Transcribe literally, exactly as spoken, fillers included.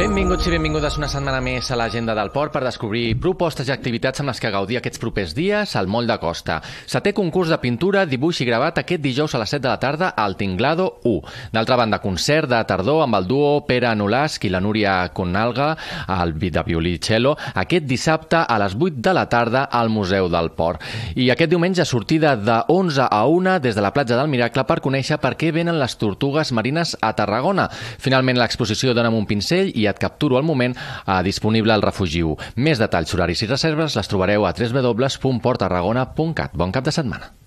Benvinguts i benvingudes una setmana més a l'Agenda del Port per descobrir propostes i activitats amb les que gaudir aquests propers dies al Moll de Costa. Setè concurs de pintura, dibuix i gravat aquest dijous a les set de la tarda al Tinglado u. D'altra banda, concert de tardor amb el duo Pere Nolasc i la Núria Conalga al de violí i cello aquest dissabte a les vuit de la tarda al Museu del Port. I aquest diumenge sortida de onze a una des de la platja del Miracle per conèixer per què venen les tortugues marines a Tarragona. Finalment, l'exposició Dóna'm un pincell i et capturo al moment eh, disponible al Refugi u. Més detalls, horaris i reserves les trobareu a w w w punt port tarragona punt cat. Bon cap de setmana.